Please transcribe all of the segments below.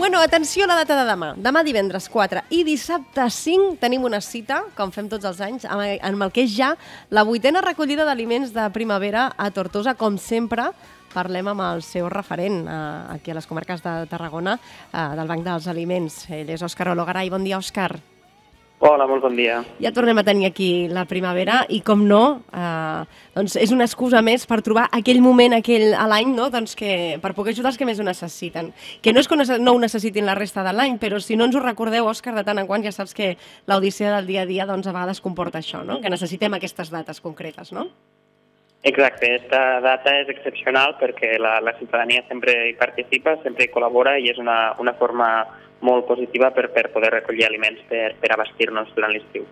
Bueno, atenció a la data de demà. Demà divendres 4 i dissabte 5 tenim una cita, com fem tots els anys, amb el que és ja la 8a recollida d'aliments de primavera a Tortosa. Com sempre, parlem amb el seu referent aquí a les comarques de Tarragona, del Banc dels Aliments. Ell és Òscar Ologaray. Bon dia, Òscar. Hola, molt bon dia. Ja tornem a tenir aquí la primavera i, com no, doncs és una excusa més per trobar aquell moment a l'any, no? Doncs per poder ajudar els que més ho necessiten. Que no és que no ho necessitin la resta de l'any, però si no ens ho recordeu, Òscar, de tant en quant ja saps que l'odissea del dia a dia doncs, a vegades comporta això, no? Que necessitem aquestes dates concretes, no? Exacte, aquesta data és excepcional perquè la ciutadania sempre hi participa, sempre hi col·labora i és una forma molt positiva per poder recollir aliments per abastir-nos durant l'estiu.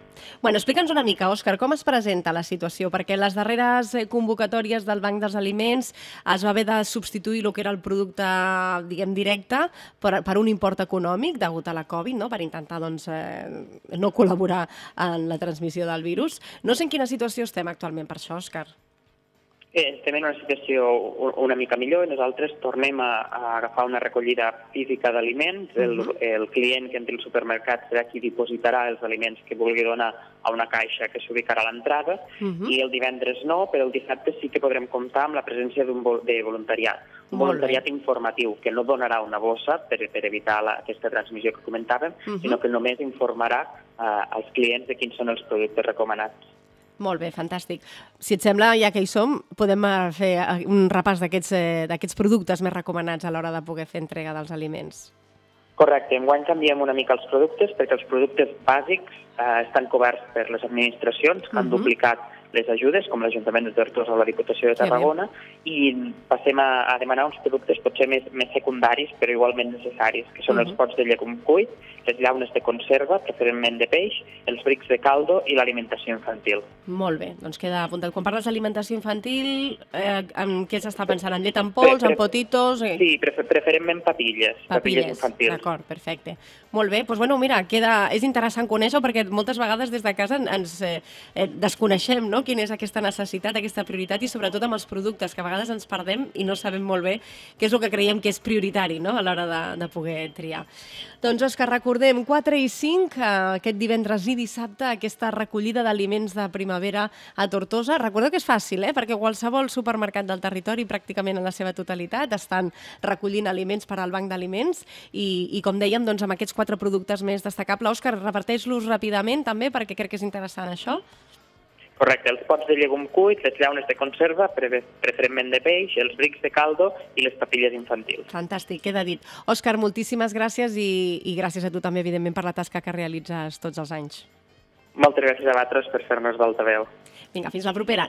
Bueno, explica'ns una mica, Òscar, com es presenta la situació? Perquè les darreres convocatòries del Banc dels Aliments es va haver de substituir el que era el producte, diguem, directe per un import econòmic degut a la Covid, no? Per intentar doncs, no col·laborar en la transmissió del virus. No sé en quina situació estem actualment per això, Òscar. Estem en una situació una mica millor i nosaltres tornem a agafar una recollida física d'aliments. El client que entri al supermercat serà qui dipositarà els aliments que vulgui donar a una caixa que s'ubicarà a l'entrada i el divendres no, però el dissabte sí que podrem comptar amb la presència de voluntariat. Un voluntariat informatiu que no donarà una bossa per evitar aquesta transmissió que comentàvem, sinó que només informarà als clients de quins són els productes recomanats. Molt bé, fantàstic. Si et sembla, ja que hi som, podem fer un repàs d'aquests productes més recomanats a l'hora de poder fer entrega dels aliments. Correcte. Enguany canviem una mica els productes perquè els productes bàsics estan coberts per les administracions que han duplicat les ajudes, com l'Ajuntament de Tortosa o la Diputació de Tarragona, i passem a demanar uns productes potser més secundaris, però igualment necessaris, que són els pots de llegum cuit, les llaunes de conserva, preferentment de peix, els brics de caldo i l'alimentació infantil. Molt bé, doncs queda apuntat. Quan parles d'alimentació infantil, en què s'està pensant? En llet en pols, en potitos? Sí, preferentment papilles infantils. D'acord, perfecte. Molt bé, doncs bueno, mira, és interessant conèixer-ho perquè moltes vegades des de casa ens desconeixem, no?, quina és aquesta necessitat, aquesta prioritat i sobretot amb els productes, que a vegades ens perdem i no sabem molt bé què és el que creiem que és prioritari, no?, a l'hora de poder triar. Doncs, Òscar, recordem, 4 i 5, aquest divendres i dissabte, aquesta recollida d'aliments de primavera a Tortosa. Recordeu que és fàcil, perquè qualsevol supermercat del territori, pràcticament en la seva totalitat, estan recollint aliments per al Banc d'Aliments i com dèiem, doncs, amb aquests 4 productes més destacables. Òscar, reparteix-los ràpidament també, perquè crec que és interessant això. Correcte, els pots de llegum cuit, les llaunes de conserva, preferentment de peix, els brics de caldo i les papilles infantils. Fantàstic, queda dit. Òscar, moltíssimes gràcies i gràcies a tu també, evidentment, per la tasca que realitzes tots els anys. Moltes gràcies a vosaltres per fer-nos d'altaveu. Vinga, fins la propera.